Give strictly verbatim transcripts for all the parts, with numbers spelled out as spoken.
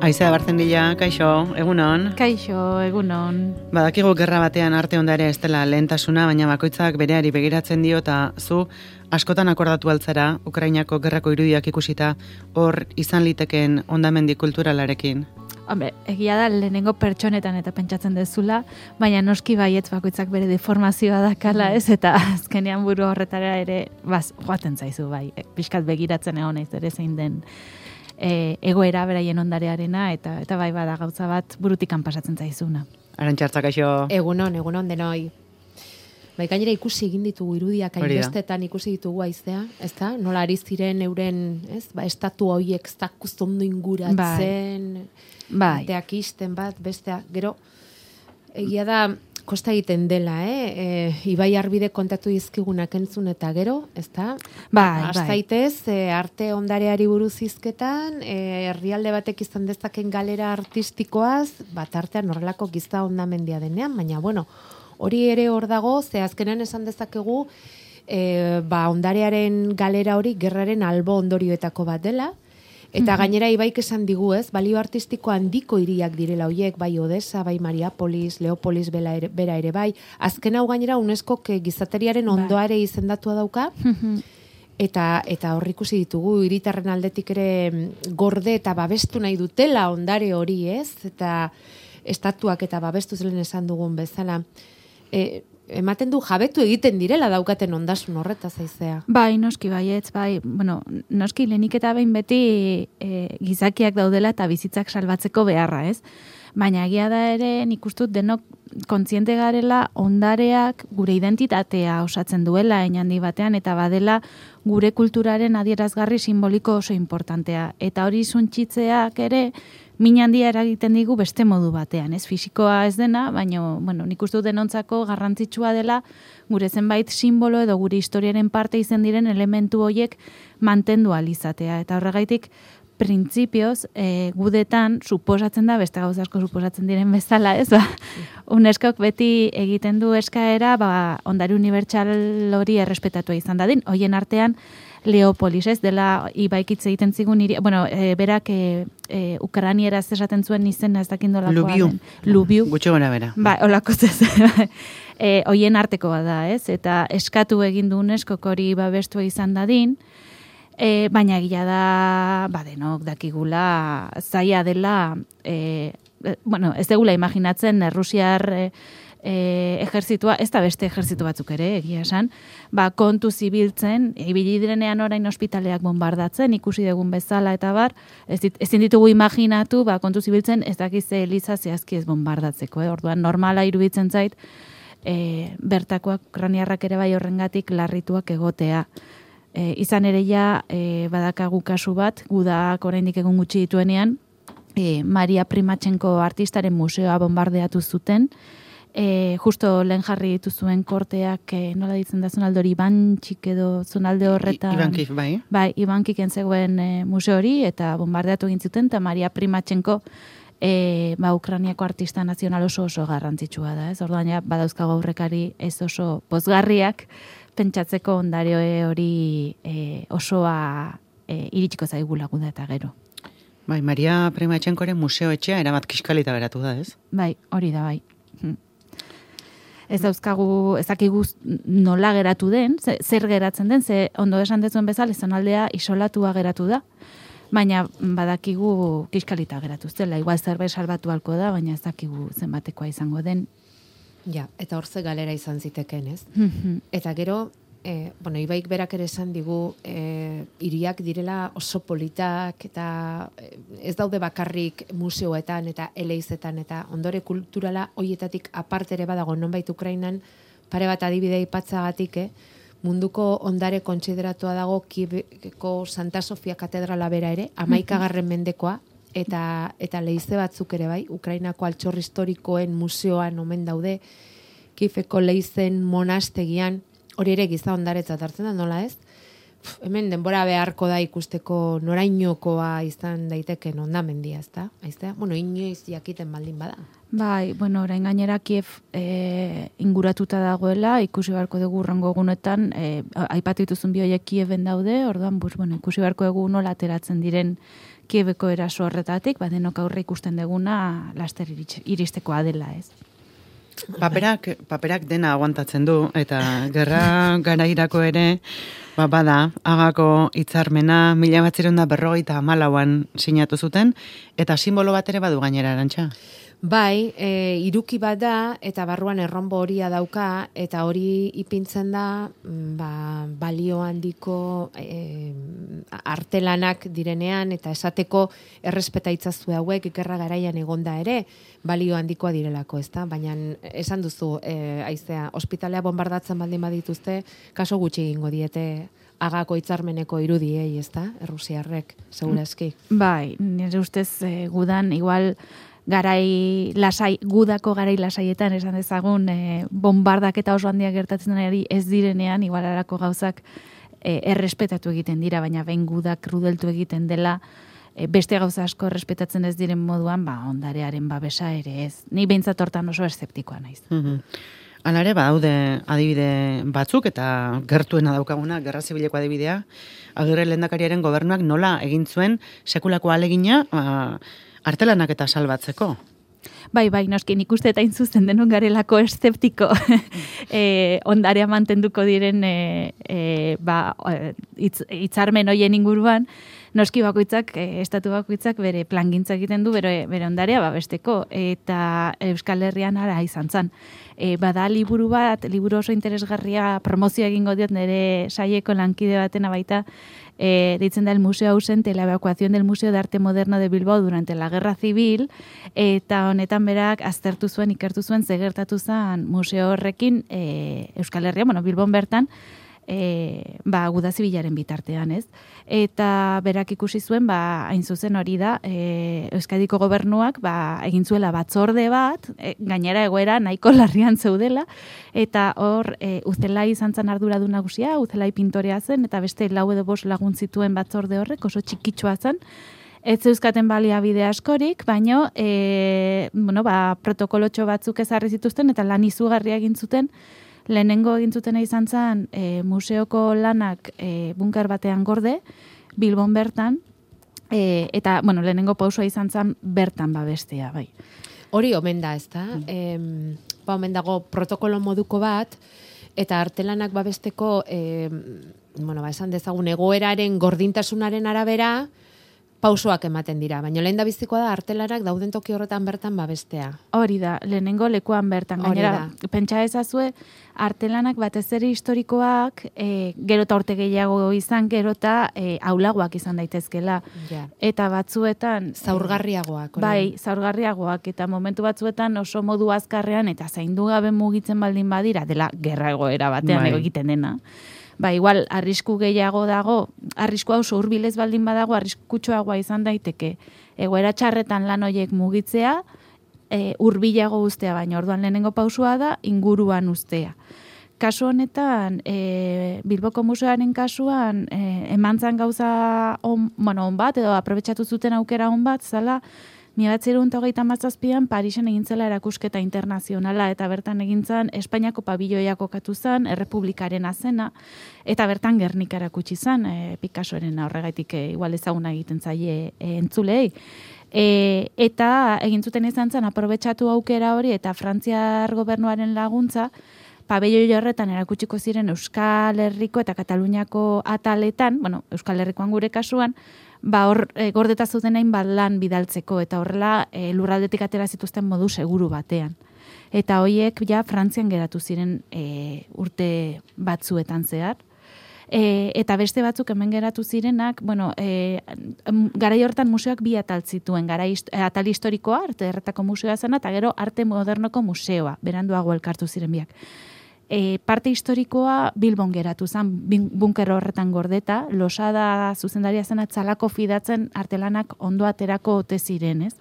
Aizea Barzenilla, kaixo, egunon. Kaixo, egunon. Badakigu gerra batean arte ondarea ez dela lehentasuna, baina bakoitzak bereari begiratzen dio eta zu askotan akordatu altzara Ukrainako gerrako irudiak ikusita hor izan liteken hondamendi kulturalarekin. Hombre, egia da lehenengo pertsonetan eta pentsatzen dezula, baina noski baietz bakoitzak bere deformazioa dakala ez, eta azkenean buru horretara ere baz, joaten zaizu bai, pixkat begiratzen egon naiz ere zein den e, egoera beraien ondarearena, eta eta bai bada gauza bat burutikan pasatzen zaizuna. Arantxartza, kaixo. Egunon, egunon denoi. Bai, gainera ikusi egin ditugu irudiak hainbestetan ikusi ditugu Aizea, ezta? Nola ari ziren euren, ez? Ba, estatu horiek zakuz ondo inguratzen, bai. Bateak isten bat, bestea, gero, egia da, kosta egiten dela, eh? E, Ibai Arbide kontatu dizkigunak entzun eta gero, ezta? Bai, Astaitez, bai. E, arte ondareari buruz hizketan, e, herrialde batek izan dezaken galera artistikoaz, bat artean horrelako giza hondamendia denean, baina, bueno, hori ere hor dago, ze azkenan esan dezakegu, e, ba, ondarearen galera hori gerraren albo ondorioetako bat dela, eta gainera Ibaik esan digu, ez, balio artistiko handiko hiriak direla hoiek, bai Odessa, bai Mariapolis, Leopolis bera ere, bera ere bai, azken hau gainera UNESCO gizateriaren ondoare izendatua dauka, eta eta hor ikusi ditugu hiritarren aldetik ere gorde eta babestu nahi dutela ondare hori, ez, eta estatuak eta babestu zelen esan dugun bezala, E, ematen du jabetu egiten direla daukaten ondasun horretaz Aizea. Bai, noski baietz, bai, bueno, noski lehenik eta behin beti e, gizakiak daudela eta bizitzak salbatzeko beharra, ez? Baina egia da ere nik ustut denok kontziente garela ondareak gure identitatea osatzen duela handi batean eta badela gure kulturaren adierazgarri simboliko oso importantea. Eta hori suntsitzeak ere min handia eragiten digu beste modu batean, ez fisikoa ez dena, baina bueno, nik uste dut denontzako garrantzitsua dela gure zenbait simbolo edo gure historiaren parte izen diren elementu horiek mantendu alizatea. Eta horregaitik printzipioz, e, gudetan suposatzen da, beste gauza asko suposatzen diren bezala, ez ba? UNESCOk beti egiten du eskaera, ba, ondare unibertsal hori errespetatua izan dadin, hoien artean Leopolis, ez, dela Ibaikitze egiten zigun, iri, bueno, e, berak e, e, Ukrainieraz esaten zuen izena ez dakindolakoa. Lubiu. Lubiu. Gutxo gora bera. Ba, olako zez. e, hoien arteko da, ez, eta eskatu egin du UNESCok hori babestu izan dadin, e, baina egia da, ba, denok dakigula, zaila dela, e, bueno, ez degula imaginatzen, Errusiar e, E, ejertzitua, ez da beste ejertzitu batzuk ere, egia esan, ba, kontu zibiltzen, ibili direnean orain ospitaleak bombardatzen, ikusi dugun bezala eta bar, ez dit, ezin ditugu imaginatu, ba, kontu zibiltzen ez dakize eliza zehazki ez bombardatzeko, eh? Orduan normala iruditzen zait, e, bertakoak ukrainiarrak ere bai horrengatik larrituak egotea. E, izan ere ja, e, badakagu kasu bat, gudak oraindik egun gutxi dituenean, e, Maria Primatxenko artistaren museoa bombardeatu zuten, E, justo lehen jarri dituzuen korteak, e, nola ditzen da zonaldori Ibantxik edo zonalde horretan. Ibankik, bai. Bai, Ibankiken zegoen e, museo hori, eta bombardeatu egin zuten, eta Maria Primatxenko e, ba, Ukrainiako artista nazional oso oso garrantzitsua da. Ez? Orduan, ja, badauzkago aurrekari ez oso pozgarriak, pentsatzeko ondare hori e, osoa e, iritsiko zaigula guda eta gero. Bai, Maria Primatxenkoren museo etxea erabat kiskalita geratu da, ez? Bai, hori da, bai. Hm. Ez dauzkagu, ezakigu nola geratu den, zer geratzen den, ze ondo esan dezuen bezala, zonaldea isolatua geratu da, baina badakigu kiskalita geratu zela, igual zerbait salbatu halko da, baina ez dakigu zenbatekoa izango den. Ja, eta horze galera izan ziteken, ez? Eta gero, e, bueno, Ibaik berak ere esan digu, e, hiriak direla oso politak, eta ez daude bakarrik museoetan eta eleizetan, eta ondore kulturala hoietatik aparte ere badago nonbait Ukrainan, pare bat adibidea aipatzagatik, eh? Munduko ondare kontsideratua dago Kieveko Santa Sofia katedrala bera ere, hamaikagarren mendekoa, eta eta leize batzuk ere bai, Ukrainako altxor historikoen museoan omen daude, Kieveko leizen monastegian, hori ere giza ondaretzat hartzen da, nola ez? Pff, hemen denbora beharko da ikusteko norainokoa izan daiteken ondamendia, ez da? Aiztea? Bueno, inoiz jakiten baldin bada. Bai, bueno, orain gainera Kiev e, inguratuta dagoela, ikusi beharko dugu urrengo egunetan, e, aipatu dituzun bi horiek Kieven daude, orduan, bus, bueno, ikusi beharko dugu nola ateratzen diren Kiebeko eraso horretatik, ba, denok aurre ikusten deguna laster iristekoa dela, ez. Paperak, paperak dena aguantatzen du, eta gerra garairako ere, ba, bada, Hagako hitzarmena mila batzireun da berrogeita hamalauan sinatu zuten, eta simbolo bat ere badu gainera, Arantxa. Bai, e, iruki bat da, eta barruan erronbo horia dauka, eta hori ipintzen da, ba, balio handiko e, artelanak direnean, eta esateko errespeta itzazue hauek ikerra garaian egonda ere, balio handikoa direlako, ezta? Baina esan duzu, e, aizea, ospitalea bombardatzen baldin badituzte, kaso gutxi egingo diete Hagako hitzarmeneko irudiei, ezta? Errusiarrek, segurazki. Bai, nire ustez e, gudan, igual, garai lasai, gudako garai lasaietan esan dezagun e, bombardak eta oso handiak gertatzen ari ez direnean, igual arako gauzak e, errespetatu egiten dira, baina behin gudak rudeltu egiten dela, e, beste gauza asko errespetatzen ez diren moduan, ba, ondarearen babesa ere ez. Ni behintzat hortan oso eszeptikoa naiz. Mm-hmm. Alare, badaude adibide batzuk, eta gertuena daukaguna, gerra zibileko adibidea, Agirre lehendakariaren gobernuak nola egin zuen sekulako alegina, ba, artelanak eta salbatzeko. Bai, bai, noski, nik uste eta inzuzen denon garelako eszeptiko e, ondarea mantenduko diren e, e, ba, itz, itzarmen hoien inguruan, noski bakoitzak, e, estatu bakoitzak bere plangintza egiten du, bere, bere ondarea babesteko, eta Euskal Herrian ara izan zan. E, bada liburu bat, liburu oso interesgarria promozio egingo diot nire saieko lankide batena baita, e, deitzen da el Museo ausente, la evacuación del Museo de Arte Moderno de Bilbao durante la Guerra Civil, eta honetan berak aztertu zuen, ikertu zuen, zegertatu zen museo horrekin e, Euskal Herria, bueno, Bilbon bertan, E, ba, guda zibilaren bitartean, ez? Eta berak ikusi zuen, ba, hain zuzen hori da, e, Euskadiko gobernuak, ba, egin zuela batzorde bat, e, gainera egoera nahiko larrian zeudela, eta hor, e, Uzelai izan zan arduradu nagusia, Uzelai pintorea zen, eta beste lau edo bost lagun zituen batzorde horrek, oso txikitsua zen, ez zeuzkaten baliabide askorik, baino, e, bueno, ba, protokolotxo batzuk ezarri zituzten, eta lan izugarria egin zuten. Lehenengo egin zutena izan zen e, museoko lanak e, bunker batean gorde, Bilbon bertan, e, eta, bueno, lehenengo pausua izan zen bertan babestea, bai. Hori omen da, ez da? Mm. E, ba, omen dago protokolo moduko bat, eta artelanak babesteko, e, bueno, ba, esan dezagun, egoeraren gordintasunaren arabera, pausoak ematen dira, baina lehen da bizikoa da artelanak dauden toki horretan bertan babestea. Hori da, lehenengo lekuan bertan. Gainera, pentsa ezazue, artelanak batez ere historikoak, e, gero eta urte gehiago izan, gero eta e, aulagoak izan daitezkela. Ja. Eta batzuetan... Zaurgarriagoak. E, bai, zaurgarriagoak, eta momentu batzuetan oso modu azkarrean, eta zaindu gabe mugitzen baldin badira, dela gerra egoera batean bai. Egiten dena. Ba, igual, arrisku gehiago dago, arrisku oso hurbilez baldin badago, arriskutsuagoa izan daiteke. Egoera txarretan lan horiek mugitzea, e, hurbilago uztea, baina orduan lehenengo pausua da, inguruan uztea. Kasu honetan, e, Bilboko Museoaren kasuan, e, emantzan gauza on, bueno, on bat, edo aprobetxatu zuten aukera on bat, zala, mila bederatziehun eta hogeita hamazazpian Parisen egintzela erakusketa internazionala, eta bertan egintzan Espainiako pabiloia kokatu zen, Errepublikaren azena, eta bertan Gernika erakutsi zen, e, Picassoren horregaitik e, igual ezaguna egiten zaie e, entzulei. E, eta egin zuten izan zen, aprobetxatu aukera hori, eta Frantziar gobernuaren laguntza, pabelloi horretan erakutsiko ziren Euskal Herriko eta Kataluniako ataletan, bueno, Euskal Herrikoan gure kasuan, ba hor e, gordeta zuten hain bat lan bidaltzeko, eta horrela e, lurraldetik atera zituzten modu seguru batean. Eta hoiek ja Frantzian geratu ziren e, urte batzuetan zehar. E, eta beste batzuk hemen geratu zirenak, bueno, e, garai hortan museoak bi atal zituen, garai atal historikoa, arte erretako museoa zena, eta gero arte modernoko museoa, beranduago elkartu ziren biak. E, parte historikoa Bilbon geratu zen, bunker horretan gordeta, Losada zuzendaria zena txalako fidatzen artelanak ondo aterako ote ziren, ez?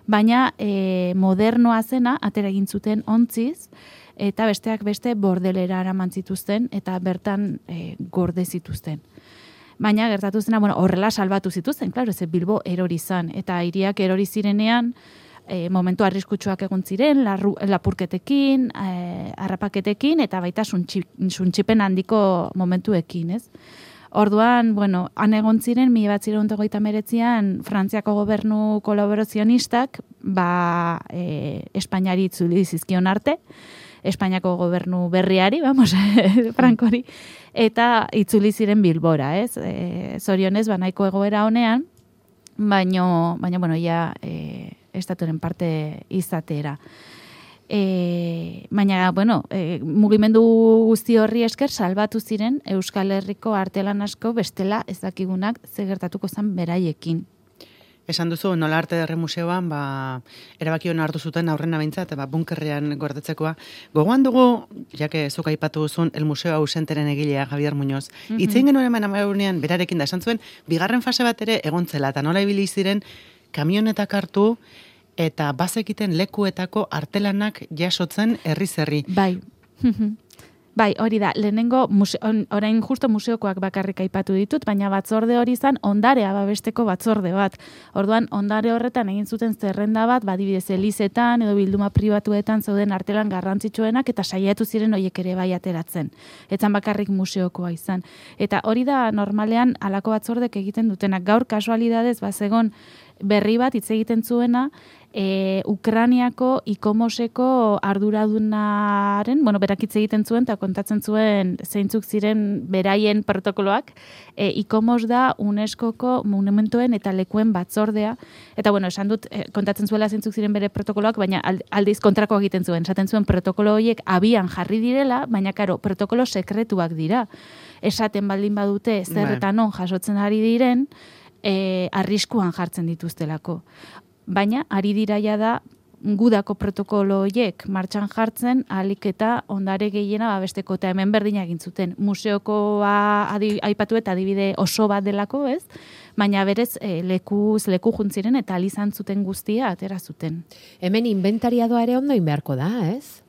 Baina e, modernoa zena atera egin zuten ontziz, eta besteak beste bordelera araman zituzten, eta bertan e, gorde zituzten. Baina gertatu zena, bueno, horrela salbatu zituzten, klaro, ez Bilbo erori zan, eta hiriak erori zirenean, E, momentu arriskutsuak egon ziren, larru, lapurketekin, e, harrapaketekin, eta baita suntxipen handiko momentuekin, ez? Orduan, bueno, han egon ziren, mila batzireun hogeita hemeretzian Frantziako gobernu kolaborazionistak, ba, e, Espainiari itzuli zizkion arte, Espainiako gobernu berriari, vamos, Frankori, eta itzuli ziren Bilbora, ez? E, zorionez, ba, nahiko egoera honean, baino, baina, bueno, ja, e, estaturen parte izatera. E, baina, bueno, e, mugimendu guzti horri esker salbatu ziren Euskal Herriko artelan asko bestela ez dakigunak ze gertatuko zen beraiekin. Esan duzu, nola arte derre museoan, ba, erabaki hona hartu zuten aurrena behintzat, ba, bunkerrean gordetzekoa. Gogoan dugu, jake zuk aipatu duzun, el museo ausenteren egilea, Javier Muñoz. Mm-hmm. Itzein genuen eman amaunean, berarekin da, esan zuen, bigarren fase bat ere egontzela, eta nola ibili ziren kamionetak hartu, eta bazekiten lekuetako artelanak jasotzen herri-zerri. Bai. Bai, hori da, lehenengo, muse, on, orain justo museokoak bakarrik aipatu ditut, baina batzorde hori izan ondarea babesteko batzorde bat. Orduan, ondare horretan egin zuten zerrenda bat, badibidez elizetan edo bilduma pribatuetan zeuden artelan garrantzitsuenak eta saiatu ziren horiek ere bai ateratzen. Etzan bakarrik museokoa izan. Eta hori da normalean halako batzordek egiten dutenak. Gaur kasualidadez bazegon berri bat hitz egiten zuena, E, Ukraniako ikomoseko arduradunaren, bueno, berak hitz egiten zuen eta kontatzen zuen zeintzuk ziren beraien protokoloak, e, ikomos da UNESCOko monumentuen eta lekuen batzordea, eta bueno, esan dut, e, kontatzen zuela zeintzuk ziren bere protokoloak, baina aldiz kontrako egiten zuen, esaten zuen protokolo horiek abian jarri direla, baina karo, protokolo sekretuak dira. Esaten baldin badute zer eta non jasotzen ari diren, e, arriskuan jartzen dituztelako. Baina, ari diraia da, gudako protokolo horiek martxan jartzen, ahalik eta ondare gehiena babesteko, eta hemen berdina egin zuten. Museokoa adi, aipatu eta adibide oso bat delako, ez? Baina berez, e, lekuz, leku juntziren eta alizan zuten guztia atera zuten. Hemen inventariadoa ere ondo inbeharko da, ez?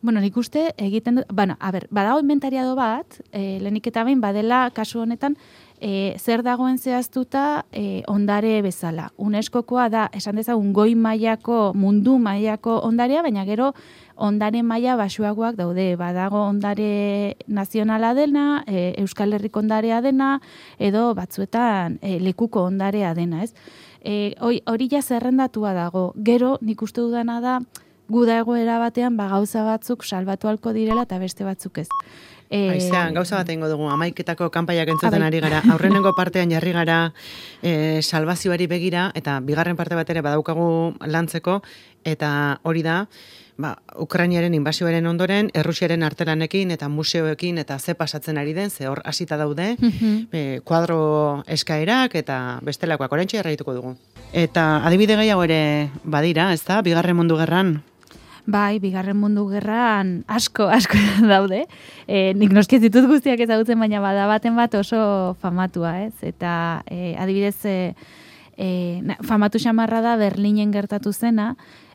Bueno, nik uste egiten dut, bueno, a ber, badago inventariado bat, e, lehenik eta behin badela kasu honetan, E, zer dagoen zehaztuta e, ondare bezala. UNESCOkoa da, esan dezagun, goi mailako, mundu mailako ondarea, baina gero ondare maila basuagoak daude. Badago ondare nazionala dena, e, Euskal Herriko ondarea dena, edo batzuetan e, lekuko ondarea dena, ez? E, hori ja zerrendatua dago. Gero, nik uste dudana da, guda egoera batean, ba, gauza batzuk salbatu halko direla eta beste batzuk ez. Aizean, gauza bat egingo dugu, amaiketako kanpaiak entzuten ari gara, aurrenengo partean jarri gara e, salvazioari begira, eta bigarren parte bat ere badaukagu lantzeko, eta hori da, ba, Ukrainiaren inbasioaren ondoren, Errusiaren artelanekin eta museoekin eta ze pasatzen ari den, ze hor hasita daude, mm-hmm. e, kuadro eskaerak eta bestelakoak, oraintxe erraituko dugu. Eta adibide gehiago ere badira, ez da, bigarren mundu gerran? Bai, bigarren mundu gerran asko, asko daude. E, nik noski ez ditut guztiak ezagutzen, baina bada baten bat oso famatua, ez? Eta e, adibidez, e, e, famatu xamarra da Berlinen gertatu zena,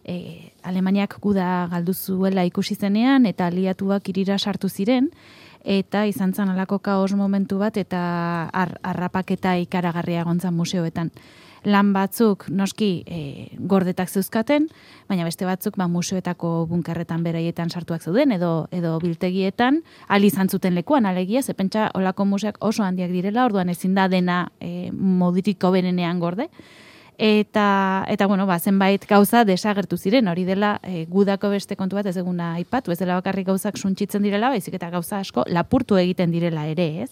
e, Alemaniak guda galdu zuela ikusi zenean, eta aliatuak irira sartu ziren, eta izan zen alako kaos momentu bat, eta ar, arrapaketa ikaragarria egontzan museoetan. Lan batzuk noski e, gordetak zeuzkaten, baina beste batzuk ba, museoetako bunkerretan beraietan sartuak zeuden, edo, edo biltegietan, ali izan zuten lekuan, alegia, ze pentsa olako museak oso handiak direla, orduan ezin da dena e, modiriko berenean gorde. Eta, eta bueno, ba, zenbait gauza desagertu ziren, hori dela e, gudako beste kontu bat ez eguna aipatu, ez dela bakarrik gauzak suntsitzen direla, baizik eta gauza asko lapurtu egiten direla ere, ez?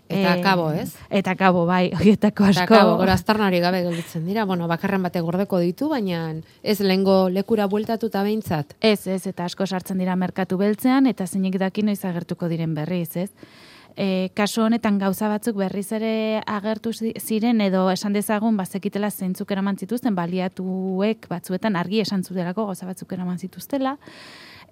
Eta kabo, ez? Eta kabo, bai, horietako asko. Eta kabo, gora aztarnari gabe gelditzen dira. Bueno, bakarren bate gordeko ditu, baina ez lehengo lekura bueltatuta behintzat. Ez, ez, eta asko sartzen dira merkatu beltzean, eta zeinek daki noiz agertuko diren berriz, ez? E, kasu honetan gauza batzuk berriz ere agertu ziren, edo esan dezagun, bazekitela zeintzuk eraman zituzten, baliatuek batzuetan argi esan zutelako gauza batzuk eraman zituztela,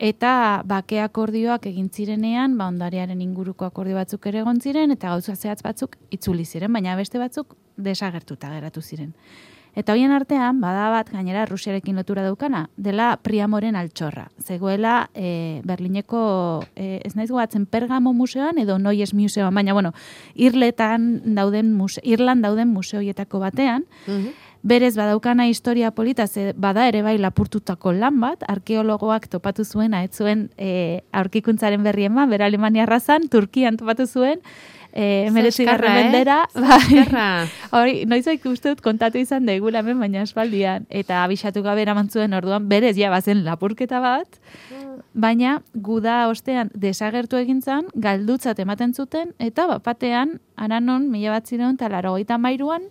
eta bake akordioak egin zirenean, ba, ondarearen inguruko akordio batzuk ere egon ziren, eta gauza zehatz batzuk itzuli ziren, baina beste batzuk desagertuta geratu ziren. Eta hoien artean, bada bat, gainera Rusiarekin lotura daukana, dela Priamoren altxorra. Zegoela e, Berlineko, e, ez naiz gogatzen, Pergamo museoan edo Noies museoan, baina, bueno, Irletan dauden muse, Irlan dauden museoietako batean, mm-hmm. Berez badaukana historia polita, ze bada ere bai lapurtutako lan bat, arkeologoak topatu zuena, ez zuen e, aurkikuntzaren berri eman, bera Alemania arrazan, Turkian topatu zuen, E, meretzigarren mendera. Zaskarra. Hori, noizoik uste dut kontatu izan daigula hemen, baina espaldian. Eta abixatu gabe eramantzuen orduan, berez ja bazen lapurketa bat, baina guda ostean desagertu egintzan, galdutzat ematen zuten, eta bapatean, aranon, mila bat ziren, eta laro gaita mairuan,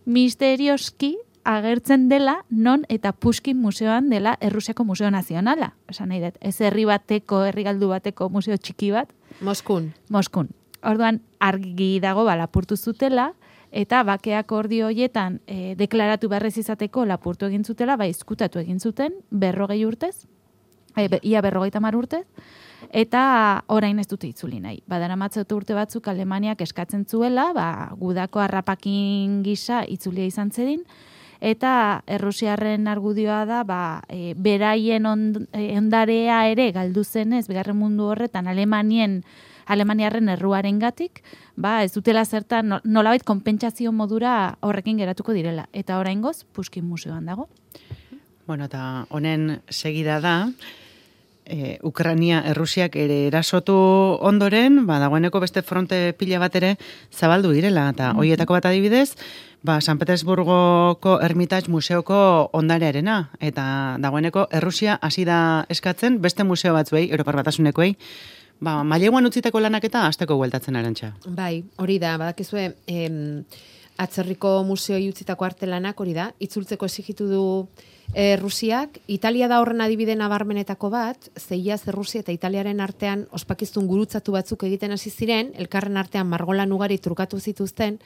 misterioski agertzen dela non eta Pushkin museoan dela Errusiako Museo Nazionala. Esan nahi dut, ez herri bateko, herri galdu bateko museo txiki bat. Moskun. Moskun. Orduan, argi dago ba, lapurtu zutela, eta bakeak ordi hoietan e, deklaratu beharrez izateko lapurtu egin zutela, ba, izkutatu egin zuten, berrogei urtez, e, be, ia berrogeita mar urtez, eta orain ez dute itzuli nahi. Badara matzatu urte batzuk Alemaniak eskatzen zuela, ba, gudako harrapakin gisa itzulia izan zedin, eta Errusiarren argudioa da, ba, e, beraien ond, e, ondarea ere galdu zenez, bigarren mundu horretan Alemanien, Alemaniarren erruaren gatik, ba, ez dutela zertan nolabait konpentsazio modura horrekin geratuko direla. Eta oraingoz Pushkin museoan dago. Bueno, eta honen segida da, E, Ukrania Errusiak ere erasotu ondoren, ba, dagoeneko beste fronte pila bat ere zabaldu direla, eta mm-hmm. horietako bat adibidez, ba, San Petersburgoko Hermitage museoko ondarearena, eta dagoeneko Errusia hasi da eskatzen beste museo batzuei, Europar Batasunekoei, ba, maileguan utziteko lanak eta hasteko bueltatzen Arantxa. Bai, hori da, badakizue, em, atzerriko museoi utzitako artelanak hori da, itzultzeko exigitu du E, Rusiak, Italia da horren adibide nabarmenetako bat, zeiaz Errusia eta Italiaren artean ospakiztun gurutzatu batzuk egiten hasi ziren, elkarren artean margolan ugari trukatu zituzten,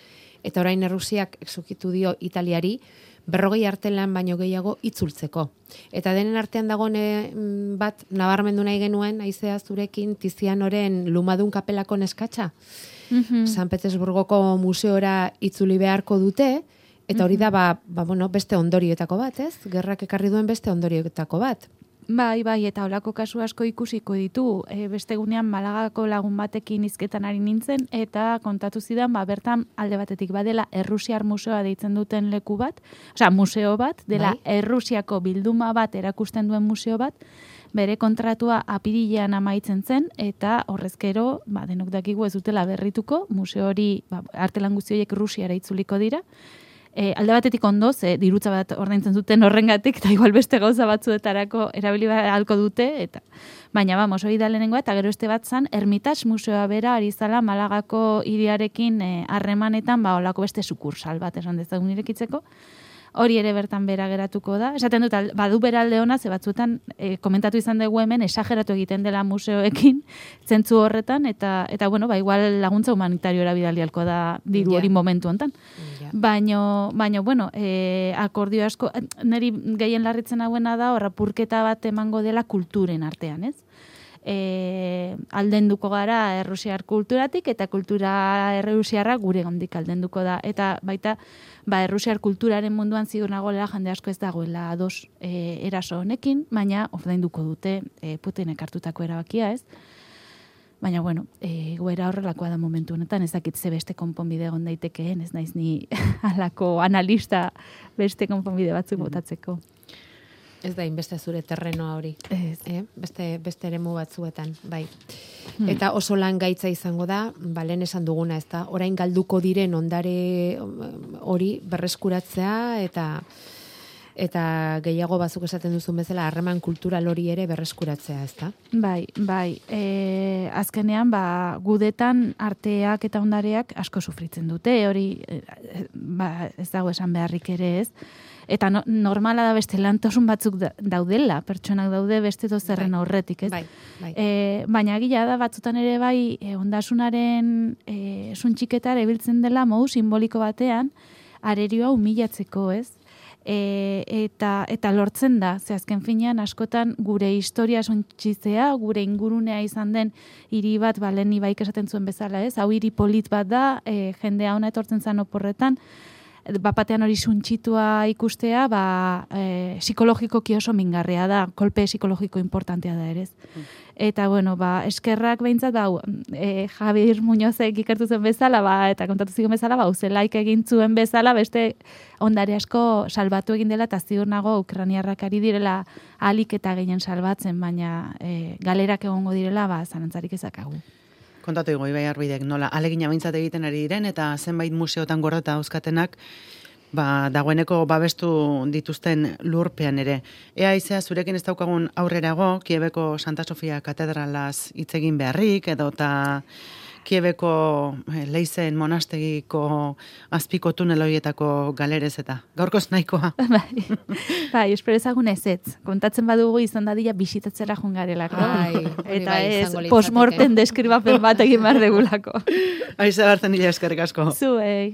eta orain Errusiak exukitu dio Italiari, berrogei artelan baino gehiago itzultzeko. Eta denen artean dagoen bat nabarmendu nahi genuen, aizea zurekin Tizianoren Lumadun kapelako neskatxa. Mm-hmm. San Petersburgoko museora itzuli beharko dute, eta hori da, ba, ba, bueno, beste ondorioetako bat, ez? Gerrak ekarri duen beste ondorioetako bat. Bai, bai, eta holako kasu asko ikusiko ditu. E, beste gunean Malagako lagun batekin hizketan ari nintzen, eta kontatu zidan, ba, bertan alde batetik badela Errusiar museoa deitzen duten leku bat, osea, museo bat, dela bai? Errusiako bilduma bat erakusten duen museo bat, bere kontratua apirilean amaitzen zen, eta horrezkero, ba, denok dakigu ez dutela berrituko, museo hori, ba, artelan guzti horiek Rusiara itzuliko dira. E, alde batetik ondo, ze dirutza bat ordaintzen zuten horrengatik, eta igual beste gauza batzuetarako erabili ahalko dute, eta baina, vamos, hori da lehenengoa, eta gero este bat zan, Hermitage museoa bera ari zala Malagako hiriarekin harremanetan, ba, olako beste sukursal bat esan dezagun irekitzeko. Hori ere bertan bera geratuko da. Esaten dut, badu bera alde ona, ze batzuetan e, komentatu izan dugu hemen, esageratu egiten dela museoekin, zentzu horretan, eta, eta bueno, ba, igual laguntza humanitariora bidalialko da diru hori yeah. momentu hontan. Yeah. Baino, baino, bueno, e, akordio asko, niri gehien larritzen hauena da, horra purketa bat emango dela kulturen artean, ez? E, aldenduko gara errusiar kulturatik eta kultura errusiarra gure gandik aldenduko da. Eta baita, ba, errusiar kulturaren munduan ziur nagoela jende asko ez dagoela ados e, eraso honekin, baina ordainduko dute e, Putinek hartutako erabakia, ez? Baina, bueno, e, goera horrelakoa da momentu honetan, ez dakit ze beste konponbide egon daitekeen, ez naiz ni halako analista beste konponbide batzuk botatzeko. Ez da, inbeste zure terrenoa hori. Ez. Eh? Beste, beste eremu batzuetan, bai. Hmm. Eta oso lan gaitza izango da, ba, lehen esan duguna, ez da, orain galduko diren ondare hori berreskuratzea, eta eta gehiago bazuk esaten duzun bezala, harreman kultural hori ere berreskuratzea, ez da? Bai, bai. E, azkenean, ba, gudetan arteak eta ondareak asko sufritzen dute, hori e, ba, ez dago esan beharrik ere ez. Eta no, normala da beste lantosun batzuk da, daudela, pertsonak daude beste dozerren bai, aurretik, ez? Bai, bai. E, baina gila da, batzutan ere bai, e, ondasunaren e, suntxiketara ebiltzen dela modu simboliko batean, arerioa humilatzeko, ez? E, eta, eta lortzen da, ze azken finean askotan gure historia suntxitzea, gure ingurunea izan den hiri bat, ba, lehen ibaik esaten zuen bezala, ez? Hau hiri polit bat da, e, jendea ona etortzen zan oporretan, bapatean hori suntxitua ikustea, ba, e, psikologikoki oso mingarria da, kolpe psikologiko importantea da ere. Mm. Eta, bueno, ba, eskerrak behintzat, ba, e, Javier Muñozek ikertu zen bezala, ba, eta kontatu zigun bezala, ba, uzelaik egin zuen bezala, beste ondare asko salbatu egin dela, eta ziur nago ukraniarrak ari direla alik eta gehien salbatzen, baina e, galerak egongo direla, ba, zanantzarik ezakagu. kontatu dugu Ibai Arbidek nola alegina behintzat egiten ari diren eta zenbait museotan gordeta euskatenak ba, dagoeneko babestu dituzten lurpean ere. Ea izea zurekin ez daukagun aurrerago, Kiebeko Santa Sofia katedralaz hitz egin beharrik, edo eta Kiebeko Leizen monastegiko azpiko tunel horietako galerez eta. Gaurkoz nahikoa. Bai, bai, espero ezagun ez ez. Kontatzen badugu izan dadila bisitatzera jungarelako. Ai, eta bai, ez, izango litzateke. postmorten deskribapen bat egin behar degulako. Aiza hartzen nila eskerrik asko. Zuei.